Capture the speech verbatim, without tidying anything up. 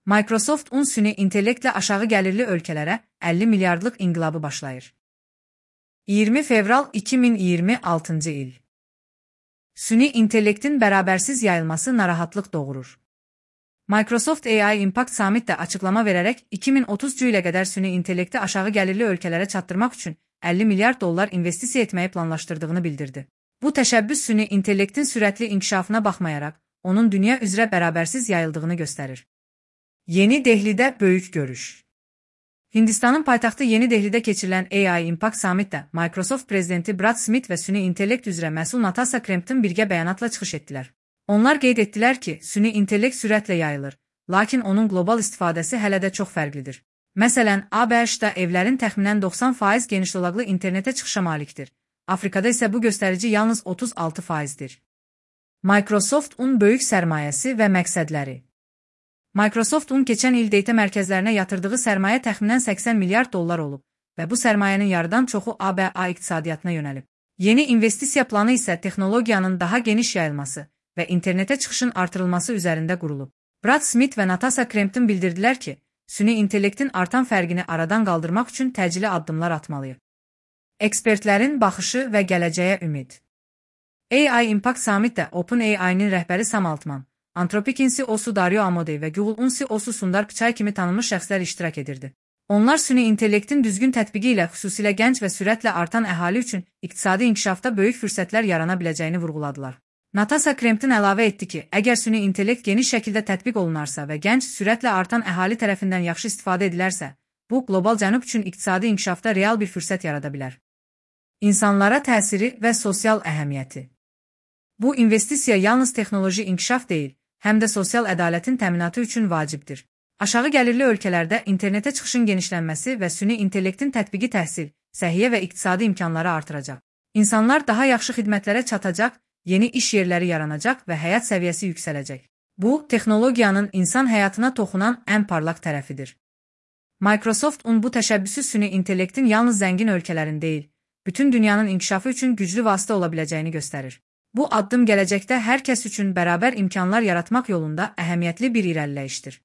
Microsoft un süni intellektlə aşağı gəlirli ölkələrə əlli milyardlıq inqilabı başlayır. iyirmi fevral iki min iyirmi altıncı il. Süni intellektin bərabərsiz yayılması narahatlıq doğurur. Microsoft A I Impact Summit'də açıqlama verərək iki min otuzuncu ilə qədər süni intellekti aşağı gəlirli ölkələrə çatdırmaq üçün əlli milyard dollar investisiya etməyi planlaşdırdığını bildirdi. Bu təşəbbüs süni intellektin sürətli inkişafına baxmayaraq, onun dünya üzrə bərabərsiz yayıldığını göstərir. Yeni Dehlidə böyük görüş. Hindistanın paytaxtı Yeni Dehlidə keçirilən A I Impact Summit'də Microsoft prezidenti Brad Smith və süni intellekt üzrə məsul Natasha Crampton birgə bəyanatla çıxış etdilər. Onlar qeyd etdilər ki, süni intellekt sürətlə yayılır, lakin onun qlobal istifadəsi hələ də çox fərqlidir. Məsələn, A B H-da evlərin təxminən doxsan faiz genişdolaqlı internetə çıxışa malikdir. Afrikada isə bu göstərici yalnız otuz altı faizdir. Microsoft un böyük sərmayəsi və məqsədləri. Microsoft un keçən il data mərkəzlərinə yatırdığı sərmayə təxminən səksən milyard dollar olub və bu sərmayənin yarıdan çoxu A B A iqtisadiyyatına yönəlib. Yeni investisiya planı isə texnologiyanın daha geniş yayılması və internetə çıxışın artırılması üzərində qurulub. Brad Smith və Natasha Crampton bildirdilər ki, süni intellektin artan fərqini aradan qaldırmaq üçün təcili addımlar atmalıyıq. Ekspertlərin baxışı və gələcəyə ümid. A I Impact Summit'də OpenAI-nin rəhbəri Sam Altman, Anthropic'in C E O'su Dario Amodei və Google'un C E O'su Sundar Pichai kimi tanınmış şəxslər iştirak edirdi. Onlar süni intellektin düzgün tətbiqi ilə xüsusilə gənc və sürətlə artan əhali üçün iqtisadi inkişafda böyük fürsətlər yarana biləcəyini vurğuladılar. Natasha Crampton əlavə etdi ki, əgər süni intellekt geniş şəkildə tətbiq olunarsa və gənc, sürətlə artan əhali tərəfindən yaxşı istifadə edilərsə, bu, qlobal cənub üçün iqtisadi inkişafda real bir fürsət yarada bilər. İnsanlara təsiri və sosial əhəmiyyəti. Bu investisiya yalnız texnoloji inkişaf deyil, həm də sosial ədalətin təminatı üçün vacibdir. Aşağı gəlirli ölkələrdə internetə çıxışın genişlənməsi və süni intellektin tətbiqi təhsil, səhiyyə və iqtisadi imkanları artıracaq. İnsanlar daha yaxşı xidmətlərə çatacaq, yeni iş yerləri yaranacaq və həyat səviyyəsi yüksələcək. Bu, texnologiyanın insan həyatına toxunan ən parlaq tərəfidir. Microsoft un bu təşəbbüsü süni intellektin yalnız zəngin ölkələrin deyil, bütün dünyanın inkişafı üçün güclü vasitə ola biləcəyini göstərir. Bu addım gələcəkdə hər kəs üçün bərabər imkanlar yaratmaq yolunda əhəmiyyətli bir irəliləyişdir.